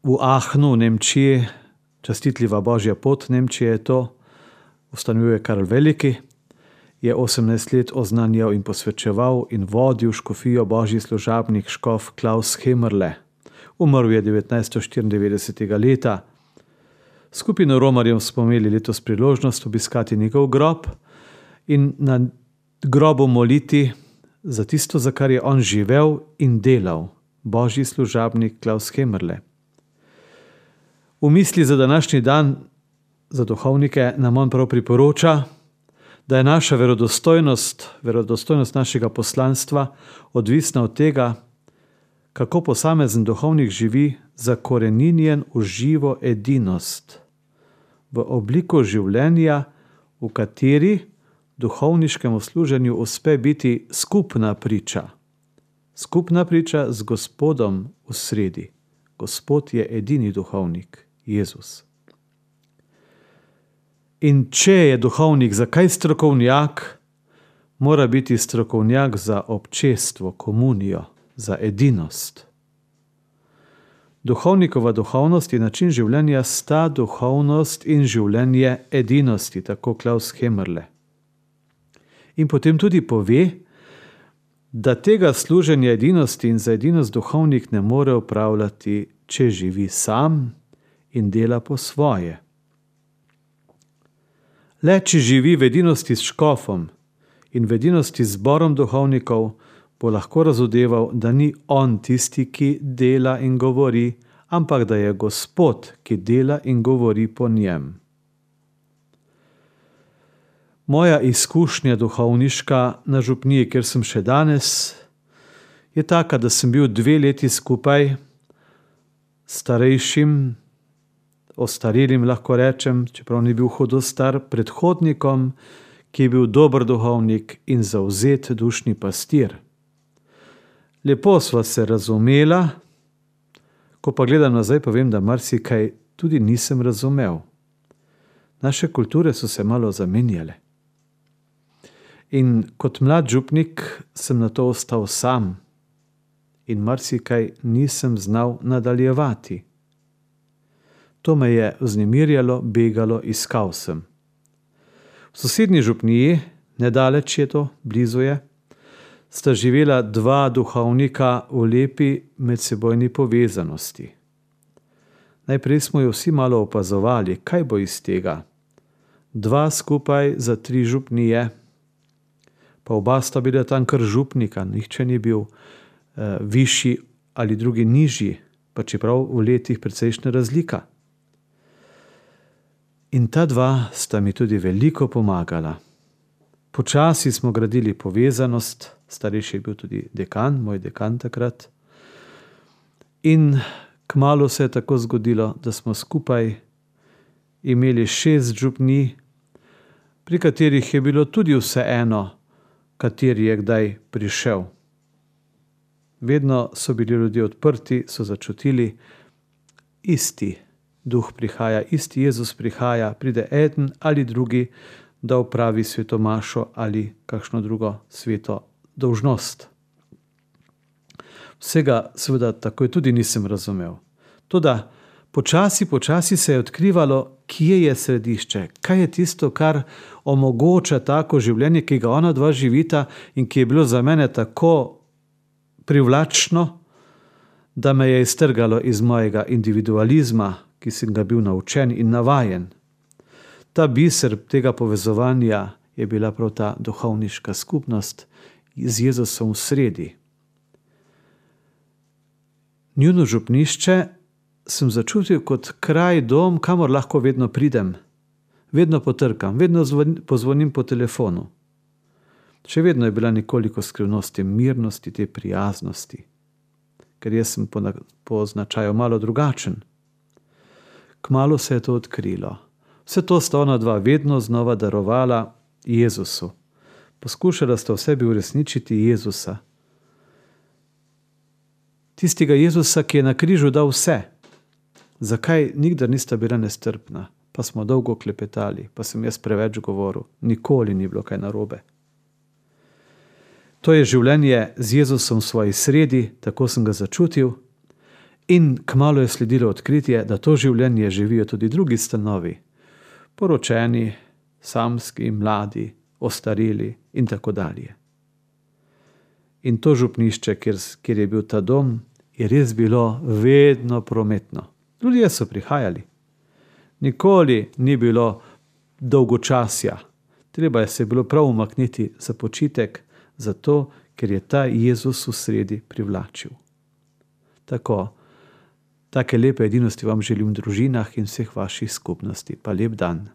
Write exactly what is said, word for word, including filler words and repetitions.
v Aachenu v Nemčiji, častitljiva Božja pot Nemčije je to, ustanovil je Karl Veliki, je osemnajst let oznanjal in posvečeval in vodil škofijo božji služabnik škof Klaus Hemerle. Umrl je devetnajststo štiriindevetdesetega leta. Skupino romarjev smo imeli letos priložnost obiskati njegov grob in na grobu moliti za tisto, za kar je on živel in delal, božji služabnik Klaus Hemerle. V misli za današnji dan za duhovnike nam on prav priporoča, da je naša verodostojnost, verodostojnost našega poslanstva odvisna od tega, kako posamezen duhovnik živi zakoreninjen v živo edinost, v obliko življenja, v kateri duhovniškemu služenju uspe biti skupna priča. Skupna priča z Gospodom v sredi. Gospod je edini duhovnik, Jezus. In če je duhovnik za kaj strokovnjak, mora biti strokovnjak za občestvo, komunijo, za edinost. Duhovnikova duhovnost in način življenja sta duhovnost in življenje edinosti, tako Klaus Hemerle. In potem tudi pove, da tega služenja edinosti in za edinost duhovnik ne more opravljati, če živi sam in dela po svoje. Le če živi v edinosti s škofom in v edinosti z zborom duhovnikov, bo lahko razodeval, da ni on tisti, ki dela in govori, ampak da je Gospod, ki dela in govori po njem. Moja izkušnja duhovniška na župniji, kjer sem še danes, je taka, da sem bil dve leti skupaj starejšim, ostarelim lahko rečem, čeprav ni bil hudo star, predhodnikom, ki je bil dober duhovnik in zavzet dušni pastir. Lepo sva se razumela, ko pa gledam nazaj, povem, da marsikaj tudi nisem razumel. Naše kulture so se malo zamenjale. In kot mlad župnik sem na to ostal sam in marsikaj nisem znal nadaljevati. To me je vznemirjalo, begalo, iskal sem. V sosednji župniji, nedaleč je to, blizu je, sta živela dva duhovnika v lepi medsebojni povezanosti. Najprej smo jo vsi malo opazovali, kaj bo iz tega. Dva skupaj za tri župnije, pa oba sta bila tam kar župnika, nihče ni bil eh, višji ali drugi nižji, pa čeprav v letih precejšnja razlika. In ta dva sta mi tudi veliko pomagala. Počasi smo gradili povezanost, starejši je bil tudi dekan, moj dekan takrat. In kmalu se je tako zgodilo, da smo skupaj imeli šest župnij, pri katerih je bilo tudi vseeno, kateri je kdaj prišel. Vedno so bili ljudje odprti, so začutili, isti duh prihaja, isti Jezus prihaja, pride eden ali drugi, da opravi svetomašo ali kakšno drugo sveto dolžnost. Vsega seveda takoj tudi nisem razumel. Toda počasi, počasi se je odkrivalo, kje je središče, kaj je tisto, kar omogoča tako življenje, ki ga ona dva živita in ki je bilo za mene tako privlačno, da me je iztrgalo iz mojega individualizma, ki sem ga bil naučen in navajen. Ta biser tega povezovanja je bila prav ta duhovniška skupnost z Jezusom v sredi. Njuno župnišče sem začutil kot kraj, dom, kamor lahko vedno pridem. Vedno potrkam, vedno pozvonim po telefonu. Še vedno je bila nekoliko skrivnost te mirnosti, te prijaznosti, ker jaz sem po, po značaju malo drugačen. Kmalu se je to odkrilo. Vse to sta ona dva vedno znova darovala Jezusu. Poskušala sta v sebi uresničiti Jezusa. Tistega Jezusa, ki je na križu dal vse. Zakaj nikdar nista bila nestrpna? Pa smo dolgo klepetali, pa sem jaz preveč govoril. Nikoli ni bilo kaj narobe. To je življenje z Jezusom v svoji sredi, tako sem ga začutil. In kmalu je sledilo odkritje, da to življenje živijo tudi drugi stanovi, poročeni, samski, mladi, ostareli in tako dalje. In to župnišče, kjer, kjer je bil ta dom, je res bilo vedno prometno. Ljudje so prihajali. Nikoli ni bilo dolgočasja. Treba je se bilo prav umakniti za počitek, zato ker je ta Jezus v sredi privlačil. Tako, take lepe edinosti vam želim v družinah in vseh vaših skupnosti. Pa lep dan.